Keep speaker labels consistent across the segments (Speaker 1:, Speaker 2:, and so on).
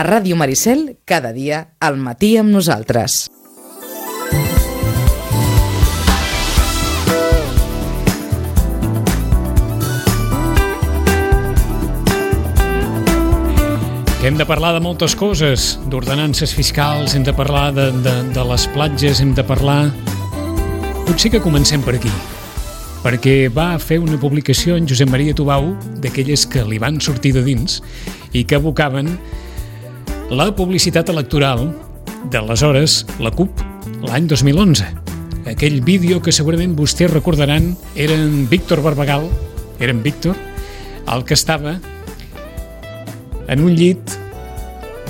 Speaker 1: A Ràdio Maricel, cada dia, al matí amb nosaltres.
Speaker 2: Hem de parlar de moltes coses, d'ordenances fiscals, hem de parlar de les platges, hem de parlar... Potser que comencem per aquí, perquè va fer una publicació en Josep Maria Tubau d'aquelles que li van sortir de dins i que abocaven la publicitat electoral d'aleshores la CUP, l'any 2011. Aquell vídeo que segurament vostès recordaran era en Víctor Barbagal, era en Víctor, el que estava en un llit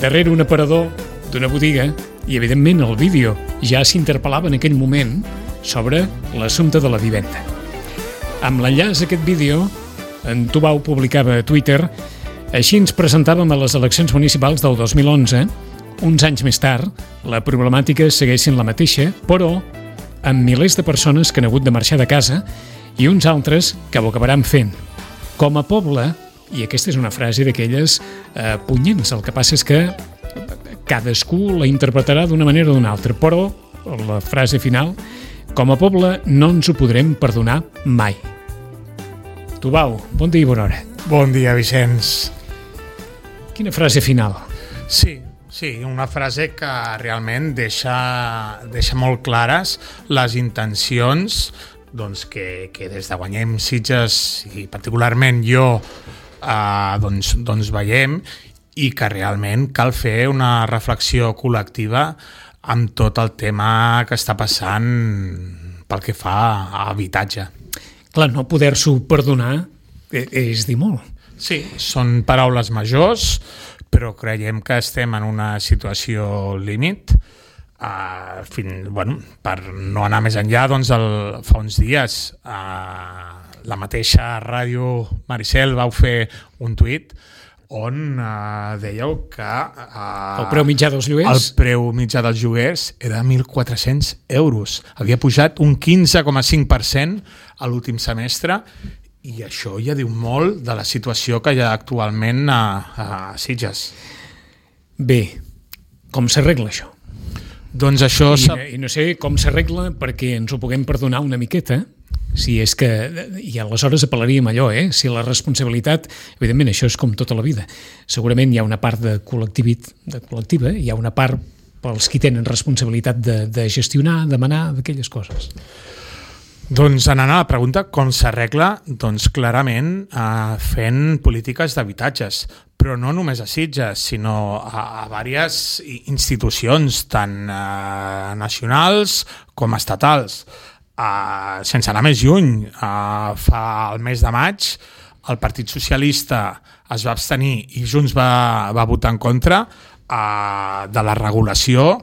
Speaker 2: darrere un aparador d'una botiga i, evidentment, el vídeo ja s'interpel·lava en aquell moment sobre l'assumpte de la vivenda. Amb l'enllaç a aquest vídeo, en Tubau publicava a Twitter: així ens presentàvem a les eleccions municipals del 2011. Uns anys més tard, la problemàtica segueix sent la mateixa, però amb milers de persones que han hagut de marxar de casa i uns altres que ho acabaran fent. Com a poble, i aquesta és una frase d'aquelles punyents, el que passa és que cadascú la interpretarà d'una manera o d'una altra, però la frase final: com a poble no ens ho podrem perdonar mai. Tubau, bon dia i bona hora.
Speaker 3: Bon dia, Vicenç.
Speaker 2: Quina frase final?
Speaker 3: Sí, una frase que realment deixa molt clares les intencions doncs, que des de Guanyem Sitges i particularment jo doncs veiem, i que realment cal fer una reflexió col·lectiva amb tot el tema que està passant pel que fa a habitatge.
Speaker 2: Clar, no poder-s'ho perdonar és dir molt.
Speaker 3: Sí, són paraules majors, però creiem que estem en una situació límit. Per no anar més enllà, doncs fa uns dies la mateixa Ràdio Maricel vau fer un tuit on dèieu que
Speaker 2: el preu mitjà dels lloguers?
Speaker 3: El preu mitjà dels lloguers era 1.400 euros. Havia pujat un 15,5% a l'últim semestre, i això ja diu molt de la situació que hi ha actualment a Sitges.
Speaker 2: Bé, com s'arregla això?
Speaker 3: Doncs això...
Speaker 2: I no sé com s'arregla perquè ens ho puguem perdonar una miqueta. Si és que, i aleshores apel·laríem allò, si la responsabilitat, evidentment això és com tota la vida, segurament hi ha una part de col·lectiva, hi ha una part pels qui tenen responsabilitat de gestionar, demanar, d'aquelles coses.
Speaker 3: Doncs anant a la pregunta, com s'arregla? Doncs clarament fent polítiques d'habitatges, però no només a Sitges, sinó a diverses institucions, tant nacionals com estatals. Sense anar més lluny, fa el mes de maig el Partit Socialista es va abstenir i Junts va votar en contra de la regulació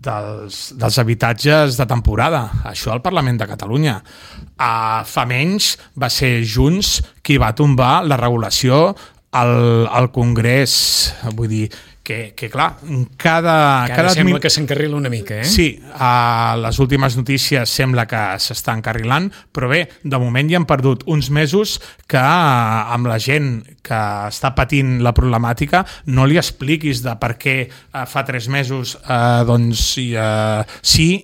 Speaker 3: dels habitatges de temporada. Això al Parlament de Catalunya. Fa menys va ser Junts qui va tombar la regulació al Congrés. Vull dir que clar, cada
Speaker 2: sembla que s'encarrila una mica,
Speaker 3: Sí, les últimes notícies sembla que s'està encarrilant, però bé, de moment ja han perdut uns mesos que amb la gent que està patint la problemàtica no li expliquis de per què fa 3 mesos sí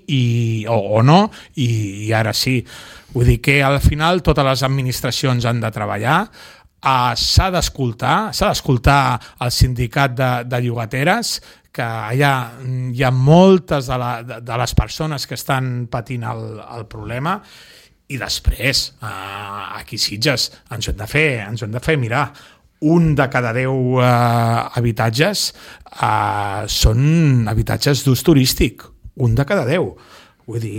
Speaker 3: o no, i ara sí. Vull dir que al final totes les administracions han de treballar. S'ha d'escoltar el sindicat de llogateres, que hi ha moltes de les persones que estan patint el problema, i després aquí a Sitges ens ho hem de fer mirar. Un de cada 10 habitatges són habitatges d'ús turístic, un de cada 10. Vull dir,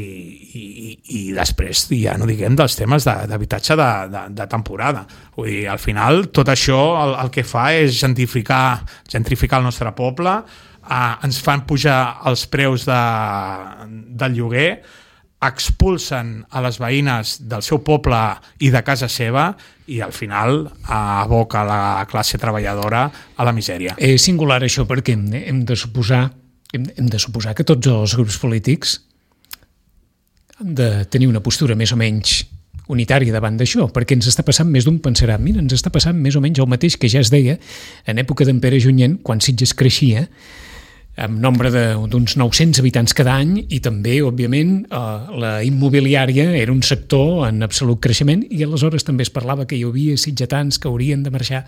Speaker 3: i després ja no diguem dels temes d'habitatge de temporada. Vull dir, al final tot això el que fa és gentrificar el nostre poble, ens fan pujar els preus del lloguer, expulsen a les veïnes del seu poble i de casa seva, i al final aboca la classe treballadora a la misèria.
Speaker 2: És singular això perquè hem de suposar que tots els grups polítics han de tenir una postura més o menys unitària davant d'això, perquè ens està passant més d'un pensarà, mira, ens està passant més o menys el mateix que ja es deia en època d'en Pere Junyent, quan Sitges creixia, amb nombre d'uns 900 habitants cada any, i també, òbviament, la immobiliària era un sector en absolut creixement, i aleshores també es parlava que hi havia sitgetans que haurien de marxar.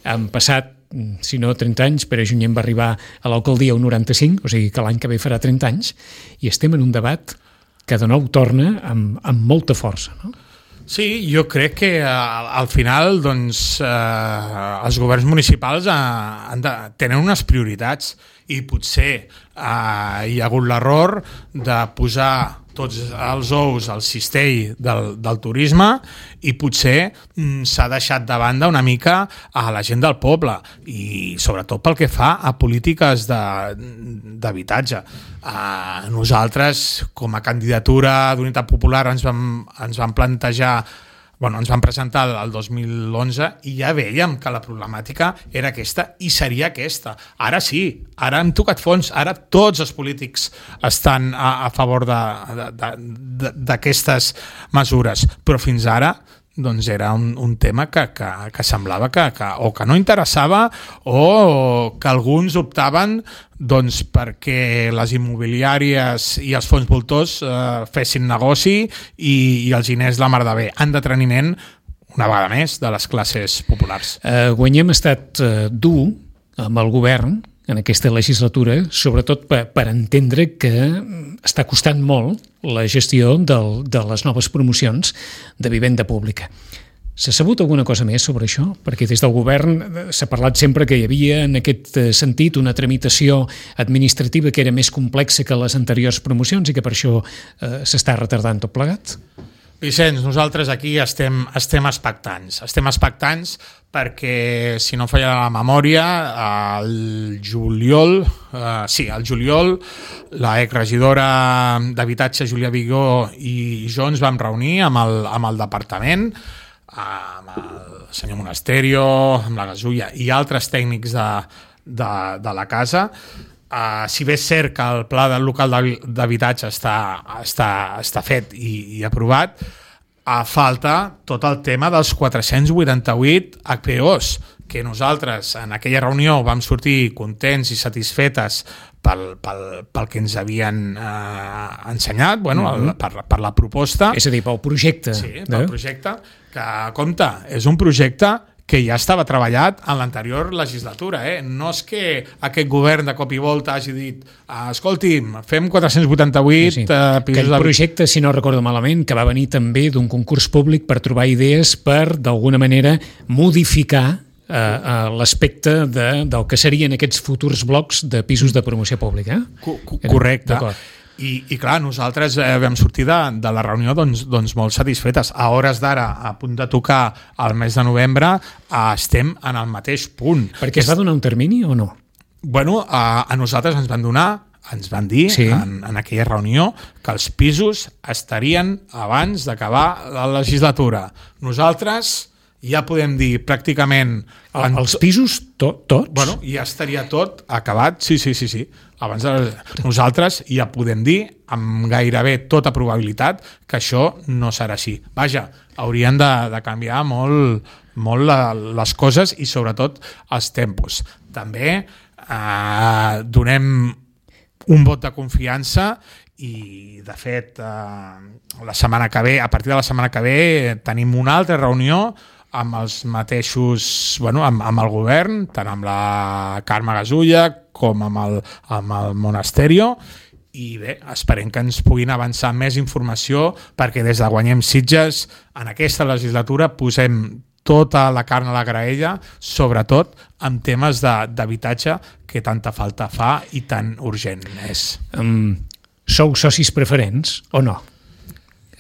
Speaker 2: Han passat, si no 30 anys, Pere Junyent va arribar a l'alcaldia un 95, o sigui que l'any que ve farà 30 anys, i estem en un debat que de nou torna amb molta força, no?
Speaker 3: Sí, jo crec que al final doncs, els governs municipals tenen unes prioritats i potser hi ha hagut l'error de posar tots els ous al cistell del turisme i potser s'ha deixat de banda una mica a la gent del poble i sobretot pel que fa a polítiques d'habitatge. Nosaltres, com a candidatura d'Unitat Popular, ens vam plantejar, ens van presentar el 2011 i ja veiem que la problemàtica era aquesta i seria aquesta. Ara sí, ara hem tocat fons, ara tots els polítics estan a favor d'aquestes mesures, però fins ara doncs era un tema que semblava que no interessava o que alguns optaven doncs perquè les immobiliàries i els fons voltors fessin negoci i els diners la mar de bé, en deteniment una vegada més de les classes populars.
Speaker 2: Guanyem ha estat dur amb el govern en aquesta legislatura, sobretot per entendre que està costant molt la gestió de les noves promocions de vivenda pública. S'ha sabut alguna cosa més sobre això? Perquè des del govern s'ha parlat sempre que hi havia en aquest sentit una tramitació administrativa que era més complexa que les anteriors promocions i que per això s'està retardant tot plegat?
Speaker 3: Vicenç, nosaltres aquí estem expectants. Estem expectants perquè, si no falla la memòria, al juliol, la exregidora d'Habitatge, Júlia Vigó, i jo ens vam reunir amb el departament, amb el senyor Monasterio, amb la Gasulla i altres tècnics de la casa. Si bé és cert que el pla del local d'habitatge està fet i aprovat, falta tot el tema dels 488 HPOs, que nosaltres en aquella reunió vam sortir contents i satisfetes pel que ens havien ensenyat, per la proposta.
Speaker 2: És a dir, pel projecte.
Speaker 3: Sí, pel projecte, que, compte, és un projecte que ja estava treballat en l'anterior legislatura. No és que aquest govern de cop i volta hagi dit escolti'm, fem 488 pisos...
Speaker 2: Aquell projecte, si no recordo malament, que va venir també d'un concurs públic per trobar idees per, d'alguna manera, modificar l'aspecte del que serien aquests futurs blocs de pisos de promoció pública.
Speaker 3: Correcte. I clar, nosaltres vam sortir de la reunió doncs molt satisfetes. A hores d'ara, a punt de tocar el mes de novembre, estem en el mateix punt.
Speaker 2: Perquè es va donar un termini o no?
Speaker 3: A nosaltres ens van dir en aquella reunió que els pisos estarien abans d'acabar la legislatura. Nosaltres ja podem dir pràcticament...
Speaker 2: Els pisos tots?
Speaker 3: Ja estaria tot acabat, sí. Abans nosaltres ja podem dir amb gairebé tota probabilitat que això no serà així. Vaja, haurien de canviar molt les coses i sobretot els tempos. També donem un vot de confiança i de fet la setmana que ve, a partir de la setmana que ve tenim una altra reunió amb els mateixos, amb el govern, tant amb la Carme Gasulla com amb el Monasterio, i bé, esperem que ens puguin avançar més informació perquè des de Guanyem Sitges en aquesta legislatura posem tota la carn a la graella, sobretot en temes d'habitatge que tanta falta fa i tan urgent és.
Speaker 2: Sou socis preferents o no?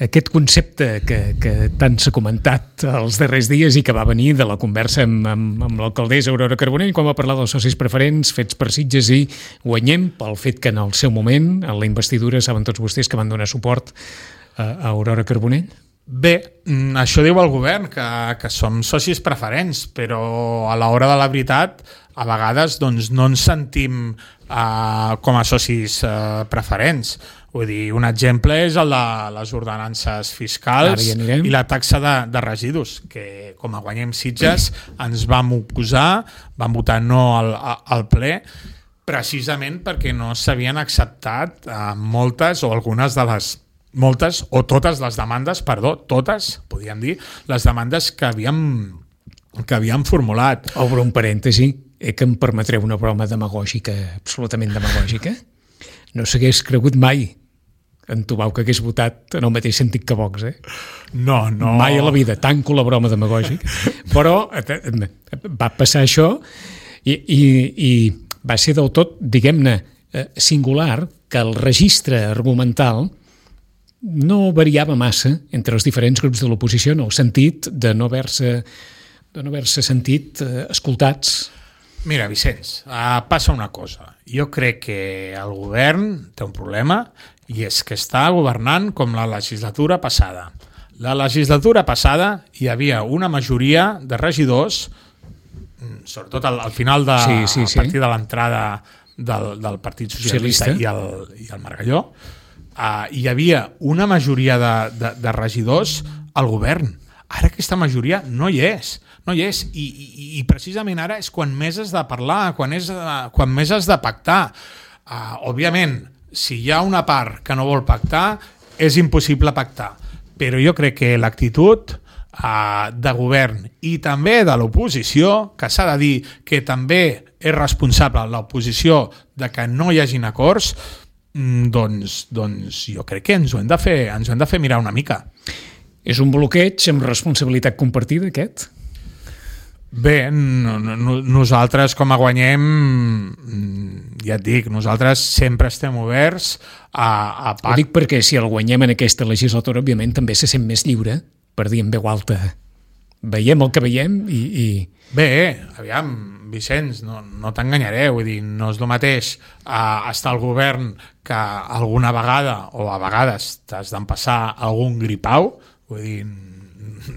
Speaker 2: Aquest concepte que tant s'ha comentat els darrers dies i que va venir de la conversa amb l'alcaldessa Aurora Carbonell quan va parlar dels socis preferents fets per Sitges i Guanyem, pel fet que en el seu moment, en la investidura, saben tots vostès que van donar suport a Aurora Carbonell?
Speaker 3: Bé, això diu el govern, que som socis preferents, però a l'hora de la veritat, a vegades doncs, no ens sentim com a socis preferents. Vull dir, un exemple és el de les ordenances fiscals i la taxa de residus, que com a Guanyem Sitges ens vam oposar, vam votar no al ple, precisament perquè no s'havien acceptat moltes o algunes de les moltes o totes les demandes, totes, podríem dir, les demandes que havíem formulat.
Speaker 2: Obro un parèntesi, que em permetreu una broma demagògica, absolutament demagògica. No s'hagués cregut mai en Tubau que hagués votat en el mateix sentit que Vox,
Speaker 3: No.
Speaker 2: Mai a la vida, tanco la broma demagògica. Però va passar això i va ser del tot, diguem-ne, singular que el registre argumental no variava massa entre els diferents grups de l'oposició en el sentit de no haver-se sentit escoltats.
Speaker 3: Mira, Vicenç, passa una cosa. Jo crec que el govern té un problema i és que està governant com la legislatura passada. La legislatura passada hi havia una majoria de regidors, sobretot al final a partir de l'entrada del Partit Socialista i el Margalló, hi havia una majoria de regidors al govern. Ara aquesta majoria no hi és. I precisament ara és quan més has de parlar, quan més has de pactar. Òbviament, si hi ha una part que no vol pactar, és impossible pactar. Però jo crec que l'actitud de govern i també de l'oposició, que s'ha de dir que també és responsable l'oposició de que no hi hagin acords, doncs jo crec que ens ho hem de fer mirar una mica.
Speaker 2: És un bloqueig amb responsabilitat compartida, aquest?
Speaker 3: Bé, nosaltres com a Guanyem, ja et dic, nosaltres sempre estem oberts a
Speaker 2: Ho dic perquè si el Guanyem en aquesta legislatura, òbviament, també se sent més lliure per dir en veu alta. Veiem el que veiem i...
Speaker 3: Bé, aviam, Vicenç, no t'enganyaré, vull dir, no és el mateix estar al govern que alguna vegada, o a vegades t'has d'empassar algun gripau, vull dir,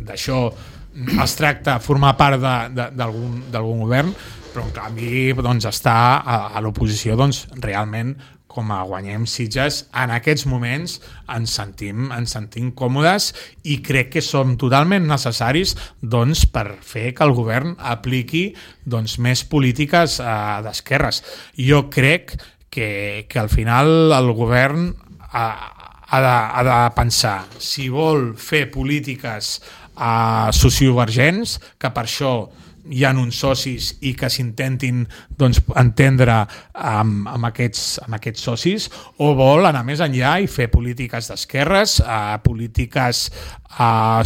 Speaker 3: d'això es tracta formar part d'algun govern, però en canvi doncs, estar a l'oposició doncs, realment com a Guanyem Sitges en aquests moments ens sentim còmodes i crec que som totalment necessaris doncs, per fer que el govern apliqui doncs, més polítiques d'esquerres. Jo crec que al final el govern ha de pensar si vol fer polítiques sociovergents, que per això hi ha uns socis i que s'intentin doncs, entendre amb aquests socis, o vol anar més enllà i fer polítiques d'esquerres, polítiques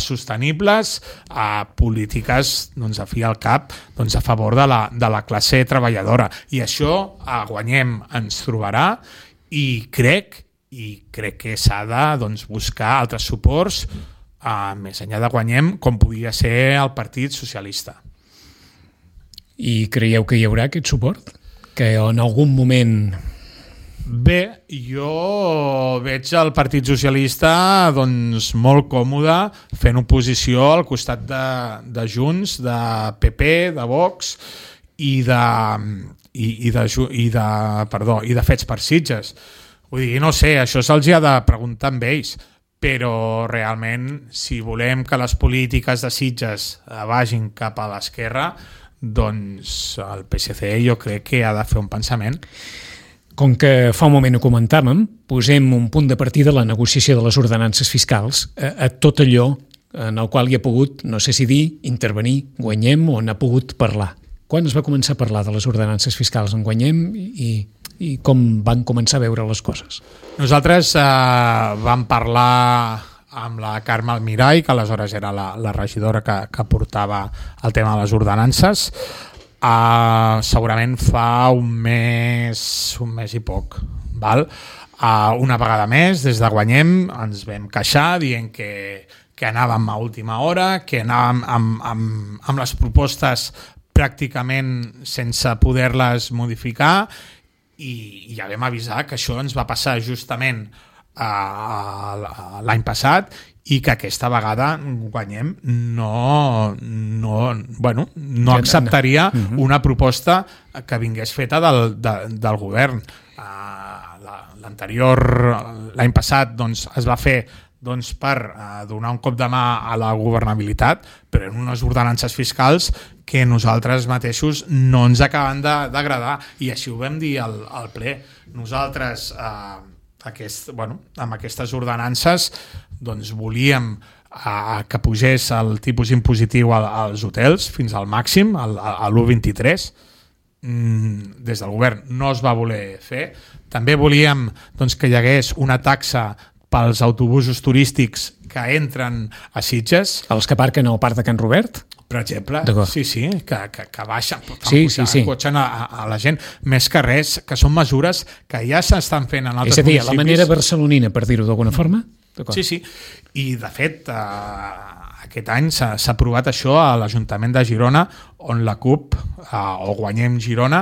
Speaker 3: sostenibles, polítiques doncs, a fi al cap doncs, a favor de la classe treballadora. I això a Guanyem ens trobarà i crec que s'ha de doncs, buscar altres suports més enllà de Guanyem, com podria ser el Partit Socialista.
Speaker 2: I creieu que hi haurà aquest suport? Que en algun moment...
Speaker 3: Bé, jo veig el Partit Socialista doncs, molt còmode fent oposició al costat de Junts, de PP, de Vox i de Fets per Sitges. Vull dir, no sé, això se'ls ha de preguntar amb ells, però realment si volem que les polítiques de Sitges vagin cap a l'esquerra, doncs el PSC jo crec que ha de fer un pensament.
Speaker 2: Com que fa un moment ho comentàvem, posem un punt de partida a la negociació de les ordenances fiscals, a tot allò en el qual hi ha pogut, no sé si dir, intervenir, Guanyem, o n'ha pogut parlar. Quan es va començar a parlar de les ordenances fiscals en Guanyem i com van començar a veure les coses?
Speaker 3: Nosaltres vam parlar amb la Carme Almirall, que aleshores era la regidora que portava el tema de les ordenances, segurament fa un mes i poc. Val? Una vegada més, des de Guanyem ens vam queixar dient que anàvem a última hora, que anàvem amb les propostes pràcticament sense poder-les modificar, i ja vam avisar que això ens va passar justament l'any passat i que aquesta vegada guanyem no acceptaria una proposta que vingués feta del govern. L'any passat doncs, es va fer per donar un cop de mà a la governabilitat, però en unes ordenances fiscals que nosaltres mateixos no ens acaben d'agradar, i així ho vam dir al ple. Nosaltres amb aquestes ordenances doncs, volíem que pugés el tipus impositiu als hotels fins al màxim, a l'1,23. Des del govern no es va voler fer. També volíem doncs, que hi hagués una taxa pels autobusos turístics que entren a Sitges.
Speaker 2: Els que aparquen al parc de Can Robert?
Speaker 3: Per exemple, sí, que baixen, cotxen a la gent, més que res, que són mesures que ja s'estan fent en altres municipis. És a dir,
Speaker 2: la manera barcelonina, per dir-ho d'alguna forma?
Speaker 3: Sí, i de fet aquest any s'ha aprovat això a l'Ajuntament de Girona, on la CUP, o Guanyem Girona,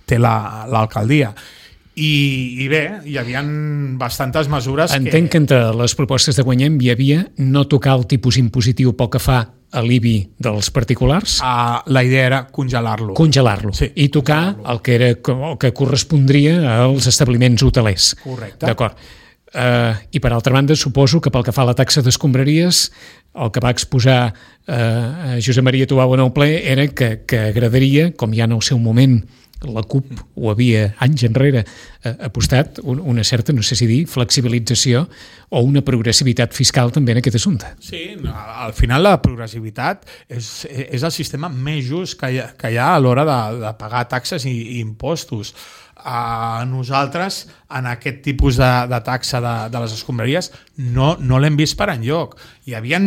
Speaker 3: té l'alcaldia. I bé, hi havia bastantes mesures.
Speaker 2: Entenc que entre les propostes de Guanyem hi havia no tocar el tipus impositiu pel que fa a l'IBI dels particulars.
Speaker 3: La idea era congelar-lo.
Speaker 2: Sí, i tocar el que correspondria als establiments hotelers.
Speaker 3: Correcte.
Speaker 2: D'acord. I per altra banda, suposo que pel que fa a la taxa d'escombraries, el que va exposar Josep Maria Tubau en el ple era que agradaria, com ja en el seu moment la CUP ho havia anys enrere apostat, una certa, no sé si dir, flexibilització o una progressivitat fiscal també en aquest assumpte.
Speaker 3: Sí, al final la progressivitat és el sistema més just que hi ha a l'hora de pagar taxes i impostos. Nosaltres en aquest tipus de taxa de les escombraries no l'hem vist per enlloc. Hi havia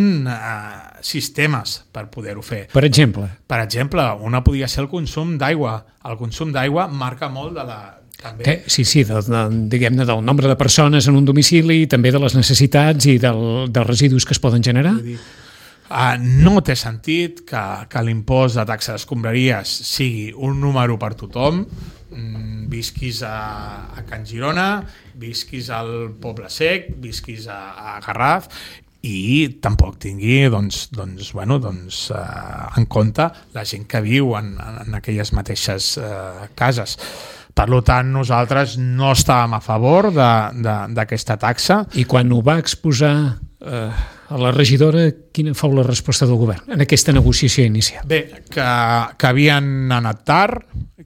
Speaker 3: sistemes per poder-ho fer.
Speaker 2: Per exemple?
Speaker 3: Per exemple, una podia ser el consum d'aigua. El consum d'aigua marca molt de la... També.
Speaker 2: Sí, diguem-ne, del nombre de persones en un domicili, també de les necessitats i dels residus que es poden generar.
Speaker 3: No té sentit que l'impost de taxa d'escombraries sigui un número per tothom, visquis a Can Girona, visquis al Poble Sec, visquis a Garraf, i tampoc tingui en compte la gent que viu en aquelles mateixes cases. Per tant, nosaltres no estàvem a favor d'aquesta taxa.
Speaker 2: I quan ho va exposar a la regidora, quina fou la resposta del govern en aquesta negociació inicial?
Speaker 3: Bé, que havien anat tard,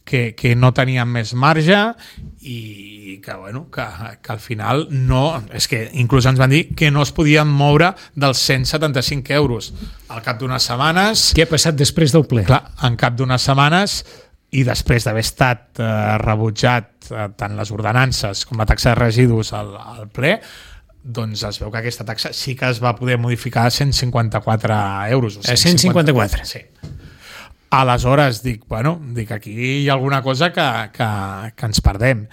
Speaker 3: que no tenien més marge i que al final no... És que inclús ens van dir que no es podien moure dels 175 euros. Al cap d'unes setmanes...
Speaker 2: Què ha passat després del ple?
Speaker 3: Clar, en cap d'unes setmanes, i després d'haver estat rebutjat tant les ordenances com la taxa de residus al ple, doncs es veu que aquesta taxa sí que es va poder modificar a 154 euros.
Speaker 2: A 154?
Speaker 3: Sí. Aleshores, dic, aquí hi ha alguna cosa que ens perdem.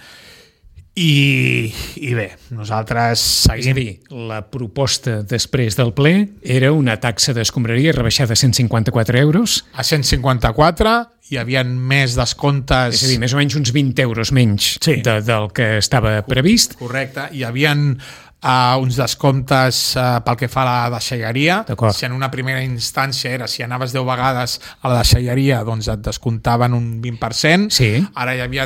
Speaker 3: I bé, nosaltres seguim...
Speaker 2: És a dir, la proposta després del ple era una taxa d'escombraria rebaixada a 154 euros.
Speaker 3: A 154 hi havia més descomptes...
Speaker 2: És a dir, més o menys uns 20 euros menys del que estava previst.
Speaker 3: Correcte, hi havia uns descomptes pel que fa a la deixalleria. Si en una primera instància era si anaves 10 vegades a la deixalleria, doncs et descomptaven un 20%.
Speaker 2: Sí.
Speaker 3: Ara hi havia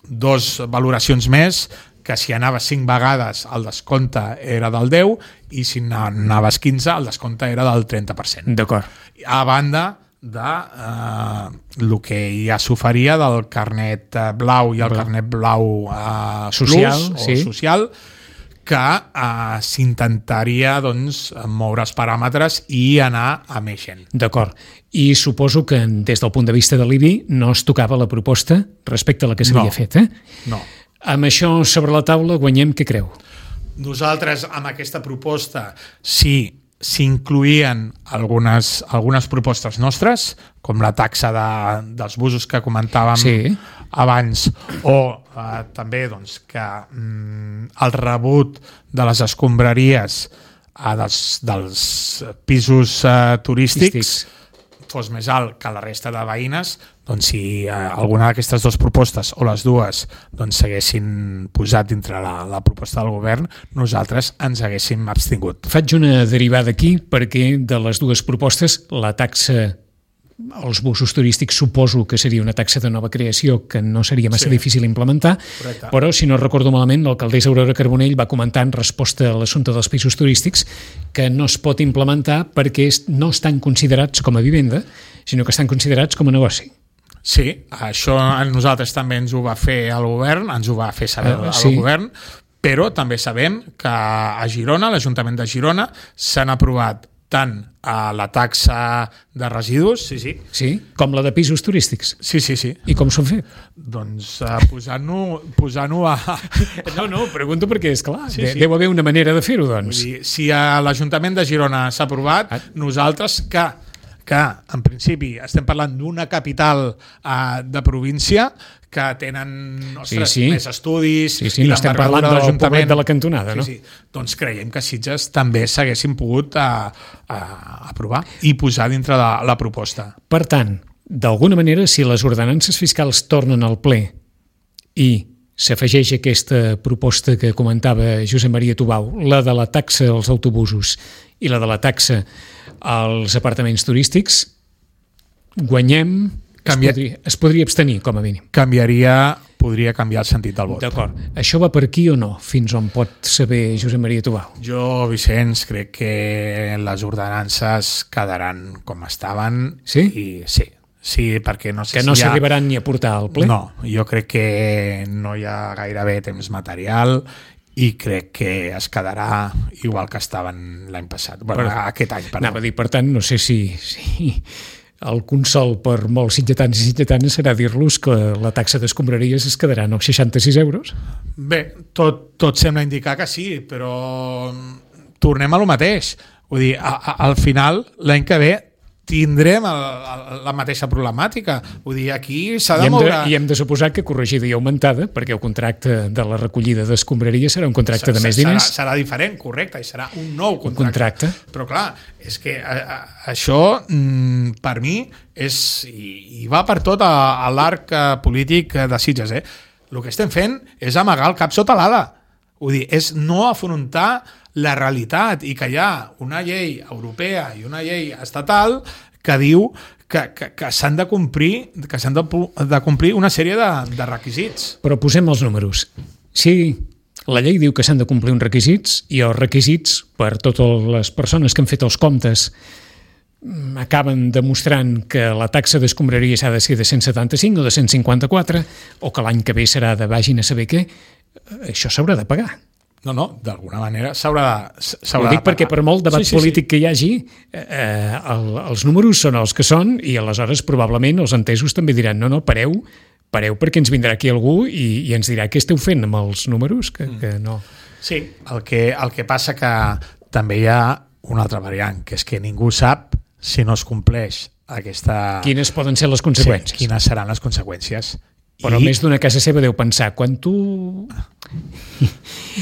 Speaker 3: dos valoracions més, que si anaves 5 vegades el descompte era del 10 i si anaves 15 el descompte era del 30%.
Speaker 2: D'acord.
Speaker 3: A banda de el que ja s'oferia del carnet blau i el carnet blau
Speaker 2: social,
Speaker 3: plus, o social, que s'intentaria moure els paràmetres i anar a més gent.
Speaker 2: D'acord. I suposo que des del punt de vista de l'IBI no es tocava la proposta respecte a la que s'havia fet,
Speaker 3: No.
Speaker 2: Amb això sobre la taula, Guanyem, què creu?
Speaker 3: Nosaltres, amb aquesta proposta, sí, s'incluïen algunes propostes nostres, com la taxa dels busos que comentàvem abans, o també que el rebut de les escombraries dels pisos turístics fos més alt que la resta de veïnes, doncs si alguna d'aquestes dues propostes o les dues doncs s'haguessin posat dintre la proposta del govern, nosaltres ens haguéssim abstingut.
Speaker 2: Faig una derivada aquí perquè de les dues propostes la taxa als busos turístics suposo que seria una taxa de nova creació que no seria massa difícil implementar. Correcte. Però si no recordo malament l'alcaldessa Aurora Carbonell va comentar en resposta a l'assumpte dels pisos turístics que no es pot implementar perquè no estan considerats com a vivenda, sinó que estan considerats com a negoci.
Speaker 3: Sí, això nosaltres també ens ho va fer el govern, ens ho va fer saber el govern, però també sabem que a Girona, l'Ajuntament de Girona, s'han aprovat tant a la taxa de residus,
Speaker 2: sí, com la de pisos turístics.
Speaker 3: Sí.
Speaker 2: I com s'ho han fet?
Speaker 3: Doncs posant-ho a...
Speaker 2: No, pregunto perquè, esclar, deu haver una manera de fer-ho, doncs.
Speaker 3: Vull dir, si a l'Ajuntament de Girona s'ha aprovat, nosaltres que en principi estem parlant d'una capital de província que tenen més estudis...
Speaker 2: Sí, no estem parlant del poblet de la cantonada, no?
Speaker 3: Sí. Doncs creiem que Sitges també s'haguessin pogut aprovar i posar dintre de la proposta.
Speaker 2: Per tant, d'alguna manera, si les ordenances fiscals tornen al ple i s'afegeix aquesta proposta que comentava Josep Maria Tubau, la de la taxa als autobusos i la de la taxa als apartaments turístics, guanyem... Es podria abstenir, com a mínim.
Speaker 3: Podria canviar el sentit del vot.
Speaker 2: D'acord. Això va per aquí o no? Fins on pot saber Josep Maria Tubau?
Speaker 3: Jo, Vicenç, crec que les ordenances quedaran com estaven.
Speaker 2: Sí?
Speaker 3: Sí, perquè no sé
Speaker 2: que no s'arribaran ni a portar al ple?
Speaker 3: No, jo crec que no hi ha gairebé temps material i crec que es quedarà igual que estaven l'any passat. Aquest any, perdó.
Speaker 2: Anava a dir, per tant, no sé si el consol per molts sitgetans i sitgetanes serà dir-los que la taxa d'escombraries es quedarà als 66 euros.
Speaker 3: Bé, tot sembla indicar que sí, però tornem a lo mateix. Vull dir, al final, l'any que ve, tindrem la mateixa problemàtica. Vull dir, aquí s'ha de moure...
Speaker 2: I hem de suposar que corregida i augmentada, perquè el contracte de la recollida d'escombraria serà un contracte de més diners.
Speaker 3: Serà diferent, correcte, i serà un nou contracte. Però clar, és que això, per mi, i va per tot l'arc polític de Sitges. El que estem fent és amagar el cap sota l'ala. Vull dir, és no afrontar la realitat i que hi ha una llei europea i una llei estatal que diu que s'han de complir una sèrie de requisits.
Speaker 2: Però posem els números. Si la llei diu que s'han de complir uns requisits i els requisits per totes les persones que han fet els comptes acaben demostrant que la taxa d'escombraria s'ha de ser de 175 o de 154 o que l'any que ve serà de vagin a saber què, això s'haurà de pagar.
Speaker 3: No, d'alguna manera s'haurà de
Speaker 2: Ho dic perquè per molt debat polític que hi hagi, els números són els que són i aleshores probablement els entesos també diran no, pareu perquè ens vindrà aquí algú i ens dirà què esteu fent amb els números, que no.
Speaker 3: Sí, el que passa que també hi ha una altra variant, que és que ningú sap si no es compleix aquesta...
Speaker 2: Quines poden ser les conseqüències?
Speaker 3: Sí, quines seran les conseqüències.
Speaker 2: Però més d'una casa seva deu pensar, quan tu...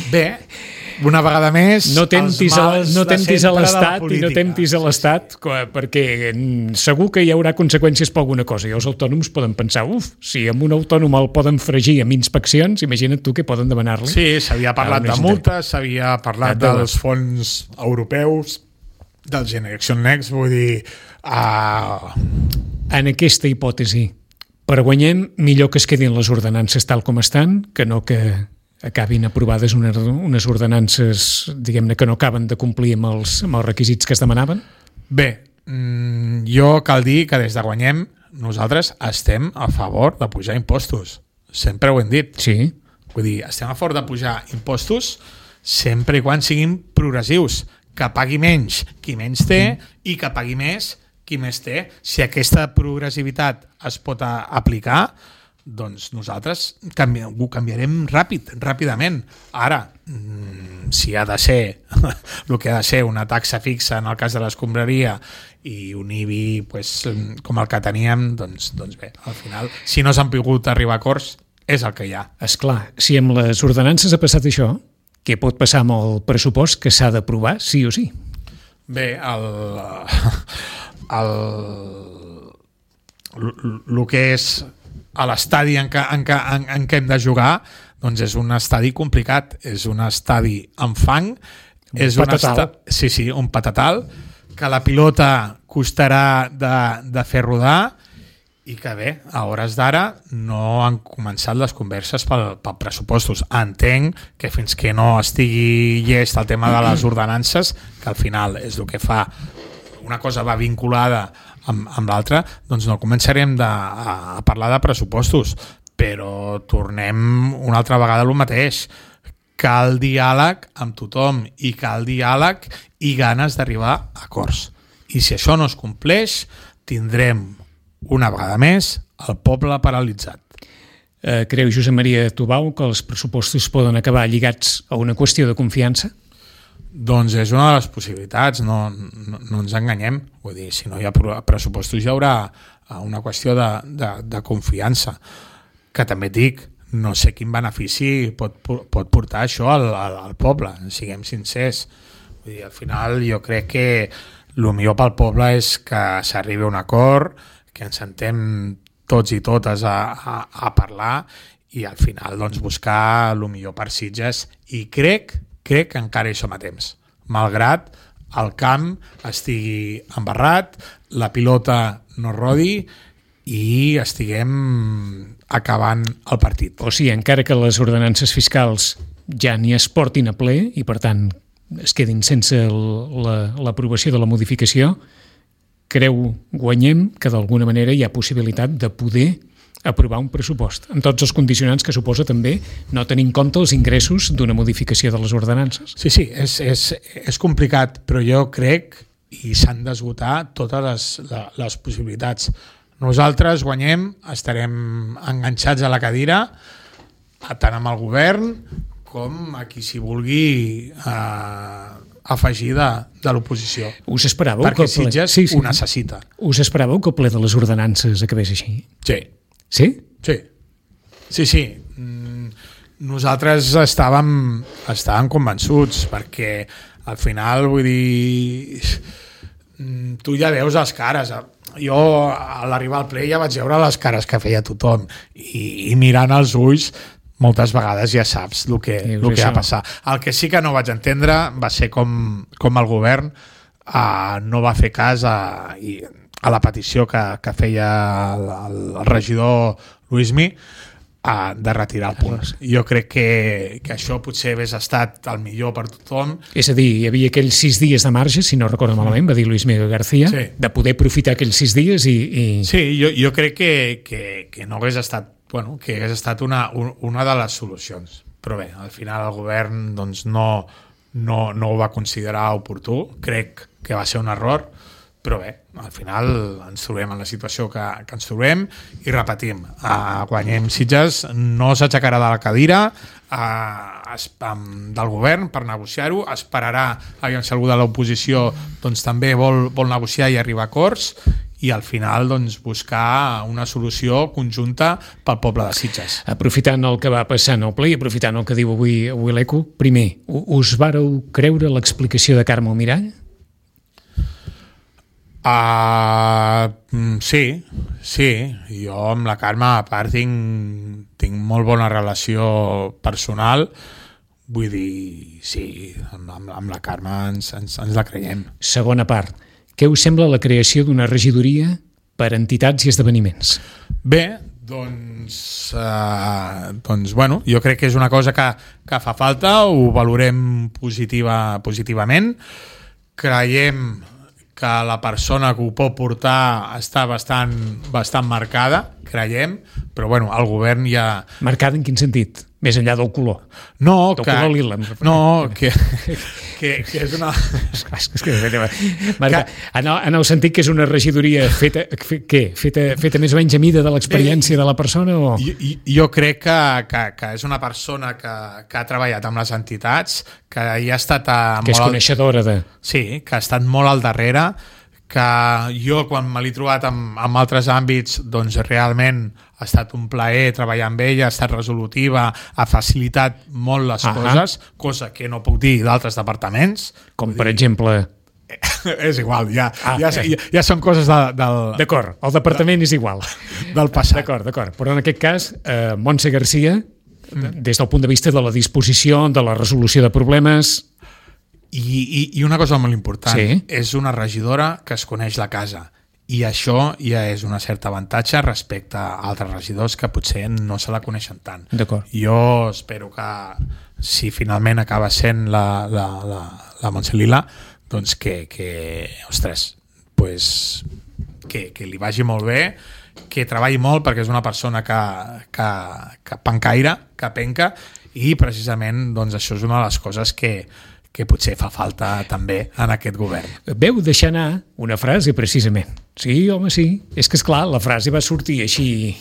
Speaker 3: Bé, una vegada més...
Speaker 2: No temptis a l'Estat i no temptis a l'Estat, perquè segur que hi haurà conseqüències per alguna cosa. I els autònoms poden pensar, si amb un autònom el poden fregir amb inspeccions, imagina't tu què poden demanar-li.
Speaker 3: Sí, s'havia parlat de multes, s'havia parlat dels fons europeus, del Generation Next, vull dir...
Speaker 2: En aquesta hipòtesi, per guanyem, millor que es quedin les ordenances tal com estan, que no que acabin aprovades unes ordenances, diguem-ne, que no acaben de complir amb els requisits que es demanaven?
Speaker 3: Bé, jo cal dir que des de Guanyem nosaltres estem a favor de pujar impostos. Sempre ho hem dit.
Speaker 2: Sí.
Speaker 3: Vull dir, estem a favor de pujar impostos sempre i quan siguin progressius, que pagui menys qui menys té i que pagui més qui més té. Si aquesta progressivitat es pot aplicar, doncs nosaltres ho canviarem ràpidament. Ara, si ha de ser el que ha de ser una taxa fixa en el cas de l'escombraria i un IBI com el que teníem, doncs bé, al final, si no s'han pogut arribar a acords, és el que hi ha.
Speaker 2: Esclar, si amb les ordenances ha passat això, què pot passar amb el pressupost que s'ha d'aprovar sí o sí?
Speaker 3: Bé, el que és a l'estadi en què hem de jugar, doncs és un estadi complicat, és un estadi amb fang, és un patatal, que la pilota costarà de fer rodar i que bé, a hores d'ara no han començat les converses pel pressupostos. Entenc que fins que no estigui llest el tema de les ordenances, que al final és el que fa, una cosa va vinculada amb l'altra, doncs no començarem a parlar de pressupostos, però tornem una altra vegada al mateix. Cal diàleg amb tothom i cal diàleg i ganes d'arribar a acords. I si això no es compleix, tindrem una vegada més el poble paralitzat.
Speaker 2: Creu Josep Maria Tubau que els pressupostos poden acabar lligats a una qüestió de confiança?
Speaker 3: Doncs és una de les possibilitats, no ens enganyem. Vull dir, si no hi ha pressupostos hi haurà una qüestió de confiança. Que també et dic, no sé quin benefici pot portar això al poble, siguem sincers. Vull dir, al final jo crec que el millor pel poble és que s'arribi a un acord, que ens sentem tots i totes a parlar i al final doncs, buscar el millor per Sitges, i crec que encara hi som a temps, malgrat el camp estigui embarrat, la pilota no rodi i estiguem acabant el partit.
Speaker 2: O sigui, encara que les ordenances fiscals ja ni es portin a ple i per tant es quedin sense l'aprovació de la modificació, creu, guanyem, que d'alguna manera hi ha possibilitat de poder aprovar un pressupost, amb tots els condicionants que suposa també no tenir en compte els ingressos d'una modificació de les ordenances.
Speaker 3: Sí, és complicat, però jo crec i s'han d'esgotar totes les possibilitats. Nosaltres guanyem, estarem enganxats a la cadira, tant amb el govern com a qui s'hi vulgui afegir de l'oposició.
Speaker 2: Us esperàveu
Speaker 3: perquè Sitges ho necessita.
Speaker 2: Us esperàveu que el ple de les ordenances acabés així?
Speaker 3: Sí.
Speaker 2: Sí?
Speaker 3: Sí. Nosaltres estàvem convençuts, perquè al final, vull dir, tu ja veus les cares. Jo, a l'arribar al ple, ja vaig veure les cares que feia tothom i mirant als ulls moltes vegades ja saps el que va passar. El que sí que no vaig entendre va ser com el govern no va fer cas a la petició que feia el regidor Luismi de retirar el punt. Jo crec que això potser hagués estat el millor per tothom.
Speaker 2: És a dir, hi havia aquells 6 dies de marge, si no recordo malament, va dir Luis Miguel García, de poder aprofitar aquells 6 dies i...
Speaker 3: Sí, jo crec que no hagués estat que hagués estat una de les solucions. Però bé, al final el govern doncs, no ho va considerar oportú. Crec que va ser un error, però bé, al final ens trobem en la situació que ens trobem i repetim, guanyem Sitges, no s'aixecarà de la cadira del govern per negociar-ho, esperarà si algú de l'oposició doncs, també vol negociar i arribar a acords i al final doncs, buscar una solució conjunta pel poble de Sitges.
Speaker 2: Aprofitant el que va passar en el ple i aprofitant el que diu avui l'ECO, primer, us vareu creure l'explicació de Carme Almirall?
Speaker 3: Sí. Jo amb la Carme, a part, tinc molt bona relació personal. Vull dir, sí, amb la Carme ens la creiem.
Speaker 2: Segona part. Què us sembla la creació d'una regidoria per entitats i esdeveniments?
Speaker 3: Bé, doncs bueno, jo crec que és una cosa que fa falta, ho valorem positivament. Creiem que la persona que ho pot portar està bastant marcada, creiem, però bueno, el govern ja...
Speaker 2: Marcada en quin sentit? Més enllà del color?
Speaker 3: No,
Speaker 2: color lila.
Speaker 3: No, que és una...
Speaker 2: En el sentit que és una regidoria feta més o menys a mida de l'experiència de la persona? O...
Speaker 3: Jo crec que és una persona que ha treballat amb les entitats, que hi ha estat...
Speaker 2: Que és coneixedora de...
Speaker 3: Sí, que ha estat molt al darrere, que jo quan me l'he trobat en altres àmbits doncs realment ha estat un plaer treballar amb ella, ha estat resolutiva, ha facilitat molt les coses, cosa que no puc dir d'altres departaments.
Speaker 2: Com per exemple...
Speaker 3: És igual, ja són coses del...
Speaker 2: D'acord, el departament és igual.
Speaker 3: Del passat.
Speaker 2: D'acord. Però en aquest cas, Montse Garcia, des del punt de vista de la disposició, de la resolució de problemes...
Speaker 3: I una cosa molt important,
Speaker 2: sí.
Speaker 3: És una regidora que es coneix la casa, i això ja és un cert avantatge respecte a altres regidors que potser no se la coneixen tant.
Speaker 2: D'acord.
Speaker 3: Jo espero que, si finalment acaba sent la Montse Lila, doncs que li vagi molt bé, que treballi molt, perquè és una persona que pencaire, que penca, i precisament doncs, això és una de les coses que potser fa falta també en aquest govern.
Speaker 2: Veu deixar anar una frase, precisament. Sí, home, sí. És que, esclar, la frase va sortir així...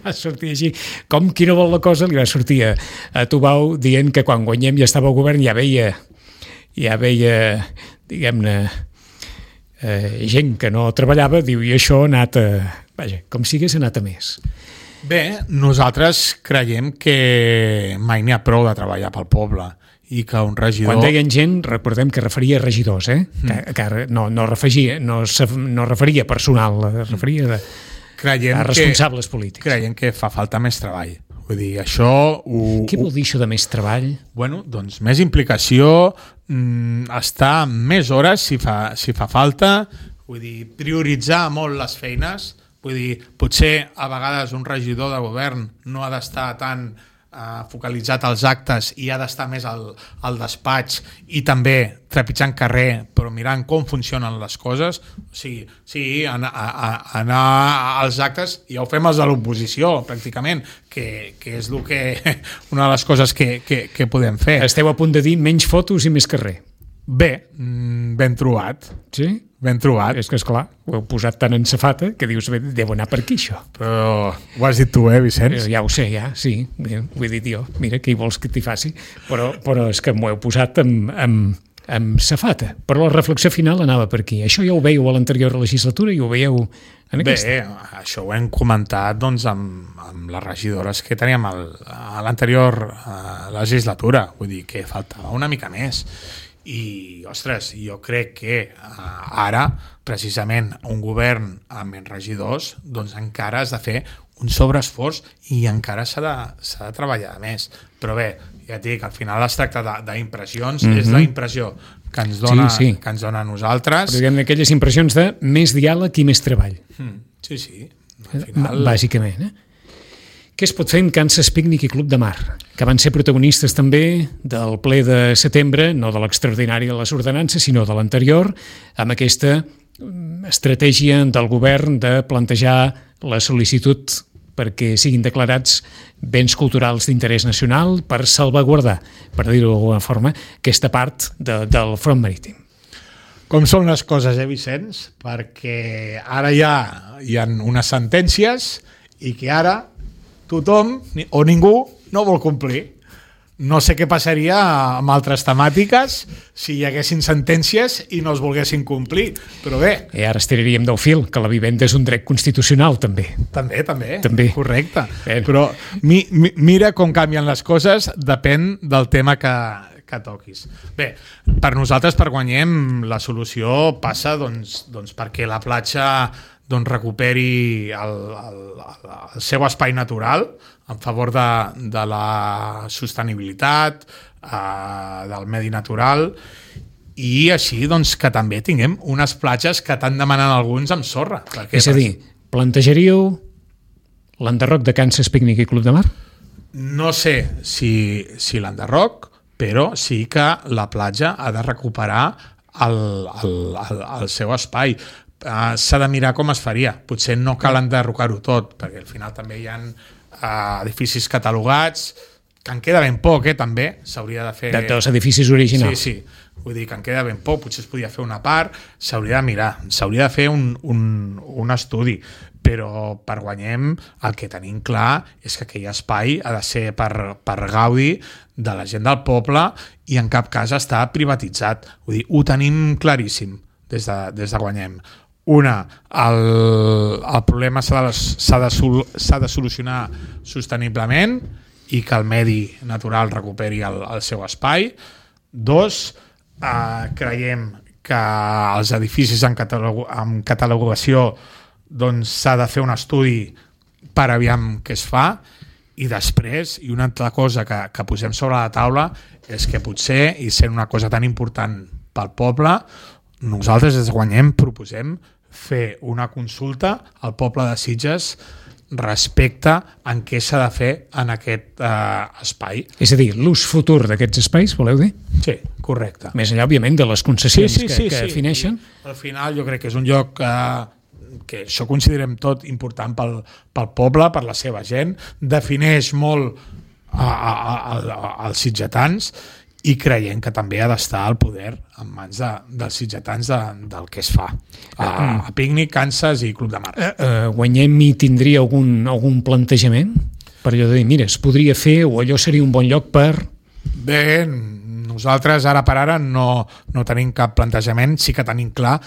Speaker 2: va sortir així. Com qui no vol la cosa, li va sortir a Tubau dient que quan guanyem ja estava al govern, ja veia diguem-ne, gent que no treballava, diu, i això ha anat a... Vaja, com si hagués anat a més.
Speaker 3: Bé, nosaltres creiem que mai n'hi ha prou de treballar pel poble, i que un regidor...
Speaker 2: Quan deien gent, recordem que referia a regidors, que no referia a personal, referia a responsables polítics.
Speaker 3: Creiem que fa falta més treball. Vull dir, això...
Speaker 2: Què vol dir això de més treball?
Speaker 3: Bueno, doncs més implicació, estar més hores si fa falta, vull dir, prioritzar molt les feines, vull dir, potser a vegades un regidor de govern no ha d'estar tan focalitzat als actes i ha d'estar més al despatx i també trepitjant carrer, però mirant com funcionen les coses. O sigui, sí, anar als actes, ja ho fem els de l'oposició pràcticament, que és una de les coses que podem fer.
Speaker 2: Esteu a punt de dir menys fotos i més carrer.
Speaker 3: Bé, ben trobat.
Speaker 2: Sí?
Speaker 3: Ben trobat.
Speaker 2: És que, esclar, ho heu posat tan en safata que dius, deu anar per aquí, això.
Speaker 3: Però ho has dit tu, Vicenç?
Speaker 2: Ja ho sé, sí. Ho he dit jo. Mira, què hi vols que t'hi faci? Però és que m'ho heu posat amb safata. Però la reflexió final anava per aquí. Això ja ho veieu a l'anterior legislatura i ho veieu en aquesta.
Speaker 3: Bé, això ho hem comentat doncs, amb les regidores que teníem a l'anterior legislatura. Vull dir que faltava una mica més. I, ostres, jo crec que ara, precisament, un govern amb menys regidors, doncs encara has de fer un sobreesforç i encara s'ha de treballar més. Però bé, ja et dic, al final es tracta d'impressions, és la impressió que ens dona, que ens dona a nosaltres.
Speaker 2: Però diguem d'aquelles impressions de més diàleg i més treball.
Speaker 3: Sí. Al final...
Speaker 2: Bàsicament, Què es pot fer en Kansas Picnic i Club de Mar, que van ser protagonistes també del ple de setembre, no de l'extraordinari de les ordenances, sinó de l'anterior, amb aquesta estratègia del govern de plantejar la sol·licitud perquè siguin declarats béns culturals d'interès nacional per salvaguardar, per dir-ho d'alguna forma, aquesta part del front marítim.
Speaker 3: Com són les coses, Vicenç? Perquè ara ja hi ha unes sentències i que ara tothom o ningú no vol complir. No sé què passaria amb altres temàtiques si hi haguessin sentències i no es volguessin complir, però bé.
Speaker 2: I ara estiraríem del fil, que la vivenda és un dret constitucional, també.
Speaker 3: També. Correcte. Però mira com canvien les coses, depèn del tema que toquis. Bé, per nosaltres, per Guanyem, la solució passa doncs perquè la platja recuperi el seu espai natural en favor de la sostenibilitat, del medi natural, i així que també tinguem unes platges que t'han demanat alguns amb sorra.
Speaker 2: És a dir, plantejaríeu l'enderroc de Kansas Picnic i Club de Mar?
Speaker 3: No sé si l'enderroc, però sí que la platja ha de recuperar el seu espai. S'ha de mirar com es faria. Potser no cal enderrocar-ho tot, perquè al final també hi ha edificis catalogats, que en queda ben poc, també. S'hauria de fer...
Speaker 2: Dels edificis originals.
Speaker 3: Sí. Vull dir que en queda ben poc, potser es podia fer una part, s'hauria de mirar, s'hauria de fer un estudi, però per Guanyem el que tenim clar és que aquell espai ha de ser per gaudi de la gent del poble i en cap cas està privatitzat. Vull dir, ho tenim claríssim des de Guanyem. El problema s'ha de solucionar sosteniblement i que el medi natural recuperi el seu espai. 2, creiem que els edificis amb catalogació doncs s'ha de fer un estudi per aviam què es fa, i després, i una altra cosa que posem sobre la taula és que potser, i sent una cosa tan important pel poble, nosaltres des de Guanyem proposem fer una consulta al poble de Sitges respecte en què s'ha de fer en aquest espai.
Speaker 2: És a dir, l'ús futur d'aquests espais, voleu dir?
Speaker 3: Sí, correcte.
Speaker 2: Més enllà, òbviament, de les concessions que defineixen.
Speaker 3: I al final jo crec que és un lloc que això considerem tot important pel poble, per la seva gent, defineix molt els sitgetans, i creiem que també ha d'estar el poder en mans dels sitgetans del que es fa. A Pícnic, Kansas i Club de Mar.
Speaker 2: Guanyem i tindria algun plantejament? Per allò de dir, mira, es podria fer o allò seria un bon lloc per...
Speaker 3: Bé, nosaltres ara per ara no tenim cap plantejament, sí que tenim clar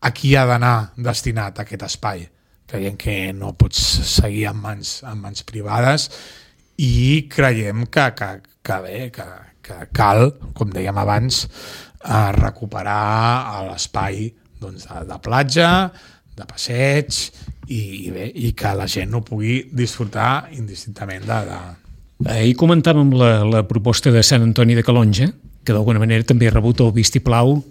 Speaker 3: a qui ha d'anar destinat aquest espai. Creiem que no pots seguir en mans privades i creiem que cal, com dèiem abans, recuperar l'espai de platja, de passeig i que la gent ho pugui disfrutar indistintament de...
Speaker 2: Ahir comentàvem la proposta de Sant Antoni de Calonge, que d'alguna manera també ha rebut el vistiplau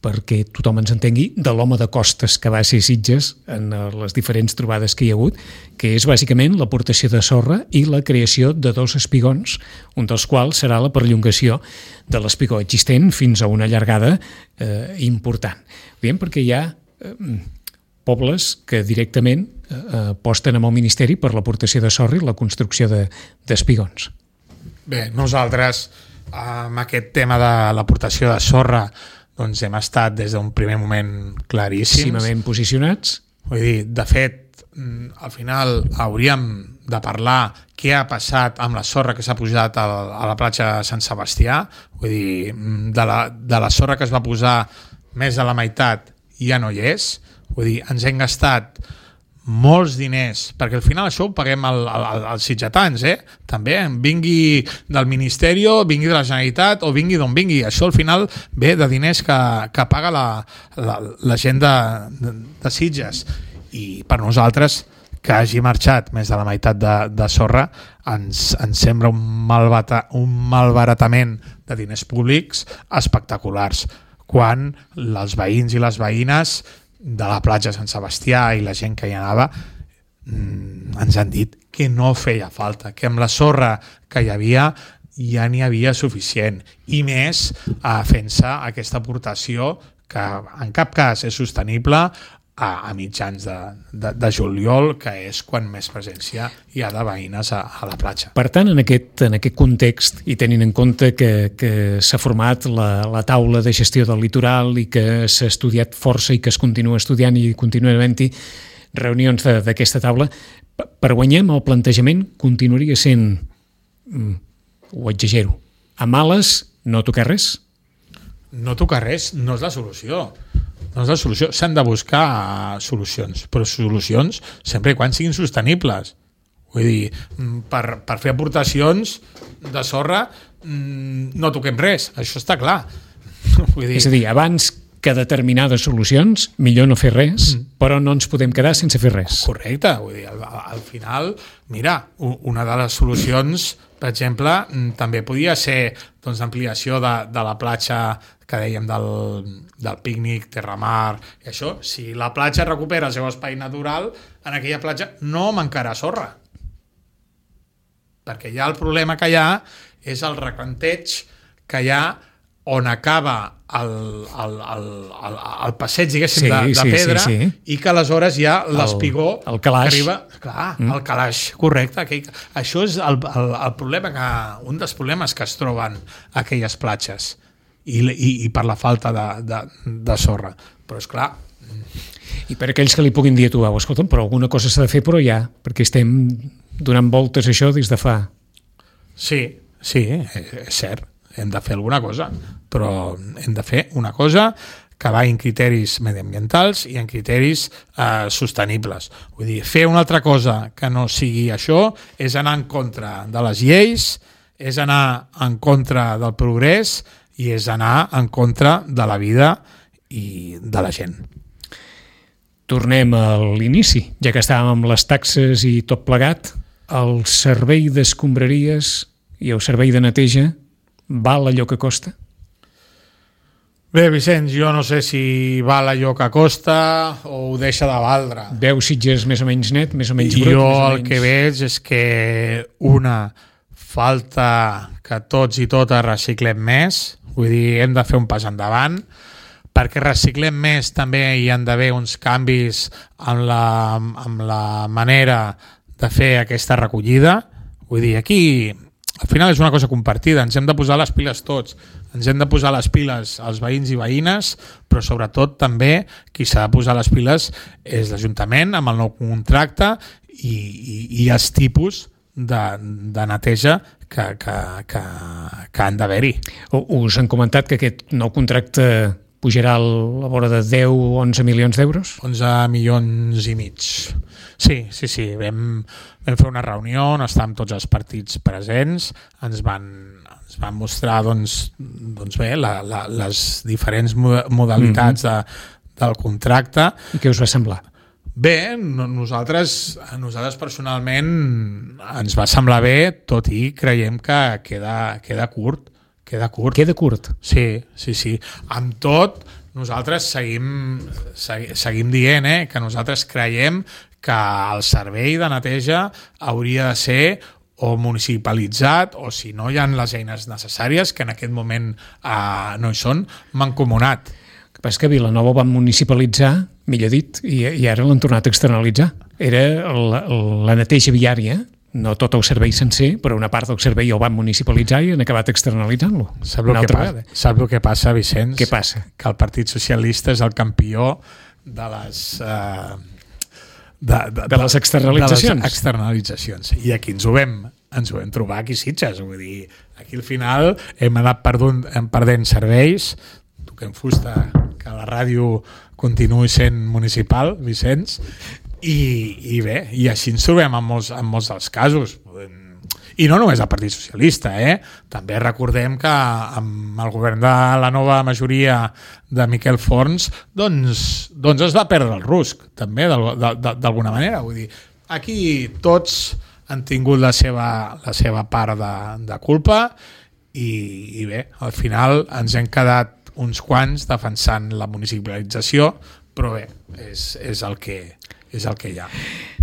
Speaker 2: perquè tothom ens entengui, de l'home de costes que va ser Sitges en les diferents trobades que hi ha hagut, que és bàsicament l'aportació de sorra i la creació de 2 espigons, un dels quals serà la perllongació de l'espigó existent fins a una llargada important. Diem perquè hi ha pobles que directament aposten amb el Ministeri per l'aportació de sorra i la construcció d'espigons.
Speaker 3: Bé, nosaltres amb aquest tema de l'aportació de sorra doncs hem estat des d'un primer moment claríssims.
Speaker 2: Cimament posicionats.
Speaker 3: Vull dir, de fet, al final hauríem de parlar què ha passat amb la sorra que s'ha posat a la platja de Sant Sebastià. Vull dir, de la sorra que es va posar més de la meitat ja no hi és. Vull dir, ens hem gastat molts diners, perquè al final això ho paguem als sitgetans, també, vingui del Ministeri, vingui de la Generalitat o vingui d'on vingui, això al final ve de diners que paga la gent de Sitges, i per nosaltres que hagi marxat més de la meitat de sorra ens sembla un malbaratament de diners públics espectaculars, quan els veïns i les veïnes de la platja de Sant Sebastià i la gent que hi anava ens han dit que no feia falta, que amb la sorra que hi havia ja n'hi havia suficient, i més fent-se aquesta aportació que en cap cas és sostenible a mitjans de juliol, que és quan més presència hi ha de veïnes a la platja.
Speaker 2: Per tant, en aquest context, i tenint en compte que s'ha format la taula de gestió del litoral i que s'ha estudiat força i que es continua estudiant i continua havent-hi reunions d'aquesta taula, per Guanyem el plantejament continuaria sent, ho exagero, a males no tocar res?
Speaker 3: No tocar res no és la solució. No és la solució. S'han de buscar solucions, però solucions sempre i quan siguin sostenibles. Vull dir, per fer aportacions de sorra no toquem res, això està clar. Vull dir...
Speaker 2: És a dir, abans que determinades solucions, millor no fer res, però no ens podem quedar sense fer res.
Speaker 3: Correcte, vull dir, al final, mira, una de les solucions, per exemple, també podia ser doncs, l'ampliació de la platja que dèiem del Pícnic, Terramar, i això, si la platja recupera el seu espai natural, en aquella platja no mancarà sorra. Perquè ja el problema que hi ha és el recanteig que hi ha on acaba el passeig, diguéssim, de pedra, i que aleshores hi ha l'espigó
Speaker 2: que arriba...
Speaker 3: Clar, el calaix, correcte. Això és el problema, un dels problemes que es troben a aquelles platges, i per la falta de sorra. Però, esclar...
Speaker 2: I per aquells que li puguin dir a tu, escolta'm, però alguna cosa s'ha de fer, però ja, perquè estem donant voltes a això des de fa...
Speaker 3: Sí, és cert. Hem de fer alguna cosa, però hem de fer una cosa que va en criteris mediambientals i en criteris sostenibles. Vull dir, fer una altra cosa que no sigui això és anar en contra de les lleis, és anar en contra del progrés i és anar en contra de la vida i de la gent.
Speaker 2: Tornem a l'inici, ja que estàvem amb les taxes i tot plegat. El servei d'escombraries i el servei de neteja val allò que costa?
Speaker 3: Bé, Vicenç, jo no sé si val allò que costa o ho deixa de valdre.
Speaker 2: Veu Sitges més o menys net, més o menys brut?
Speaker 3: Jo el que veig és que falta que tots i totes reciclem més, vull dir, hem de fer un pas endavant. Perquè reciclem més també hi han d'haver uns canvis amb la manera de fer aquesta recollida. Vull dir, aquí al final és una cosa compartida, ens hem de posar les piles tots, ens hem de posar les piles els veïns i veïnes, però sobretot també qui s'ha de posar les piles és l'Ajuntament amb el nou contracte i els tipus de neteja que han d'haver-hi.
Speaker 2: Us han comentat que aquest nou contracte pujarà a la vora de 10 o 11 milions d'euros?
Speaker 3: 11 milions i mig. Sí. Vam fer una reunió on estàvem tots els partits presents, ens van mostrar doncs bé, les diferents modalitats del contracte.
Speaker 2: I què us va semblar?
Speaker 3: Bé, nosaltres personalment ens va semblar bé, tot i creiem que queda curt. Queda curt? Sí. Amb tot, nosaltres seguim dient que nosaltres creiem que el servei de neteja hauria de ser o municipalitzat o, si no hi ha les eines necessàries, que en aquest moment no hi són, mancomunat.
Speaker 2: El que passa és que Vilanova ho van municipalitzar, millor dit, i ara l'han tornat a externalitzar. Era la neteja viària, no tot el servei sencer, però una part del servei ho van municipalitzar i han acabat externalitzant-lo.
Speaker 3: Saps el que passa, Vicenç?
Speaker 2: Què passa?
Speaker 3: Que el Partit Socialista és el campió de les
Speaker 2: externalitzacions.
Speaker 3: De les externalitzacions. I aquí ens ho vam trobar aquí a Sitges. Vull dir, aquí al final hem anat perdent serveis. Toquem fusta que la ràdio continuï sent municipal, Vicenç. I bé, i així ens trobem en molts dels casos. I no només el Partit Socialista, també recordem que amb el govern de la nova majoria de Miquel Forns doncs es va perdre el rusc, també, d'alguna manera. Vull dir, aquí tots han tingut la seva part de culpa i bé, al final ens hem quedat uns quants defensant la municipalització, però bé, és el que hi ha.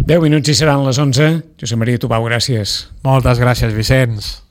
Speaker 2: 10 minuts i seran les 11. Josep Maria Tubau, gràcies.
Speaker 3: Moltes gràcies, Vicenç.